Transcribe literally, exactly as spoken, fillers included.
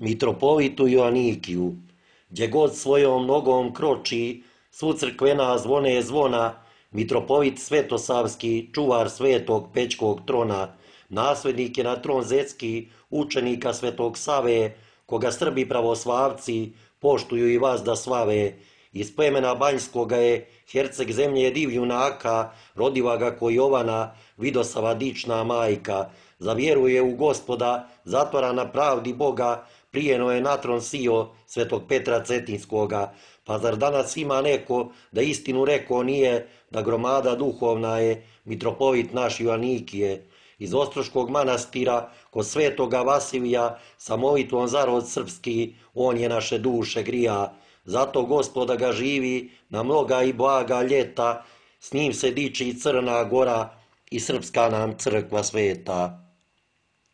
mitropolitu Joanikiju, gdje god svojom nogom kroči, svu crkvena zvone zvona, mitropolit Svetosavski, čuvar svetog Pećkog trona, naslednik je na tron zetski učenika Svetog Save, koga Srbi pravoslavci poštuju i vas da slave. Iz plemena Banjskoga je herceg zemlje divljunaka, rodiva ga ko Jovana, Vidosava dična majka. Zavjeruje u Gospoda, zatvara na pravdi Boga, prijeno je na tron sio Svetog Petra Cetinskoga. Pa zar danas ima neko da istinu reko nije, da gromada duhovna je mitropolit naš Joanikije. Iz Ostroškog manastira kod svetoga Vasilija sa molitvom za rod srpski on je naše duše grija. Zato Gospoda ga živi na mnoga i blaga ljeta, s njim se diči Crna Gora i srpska nam crkva sveta.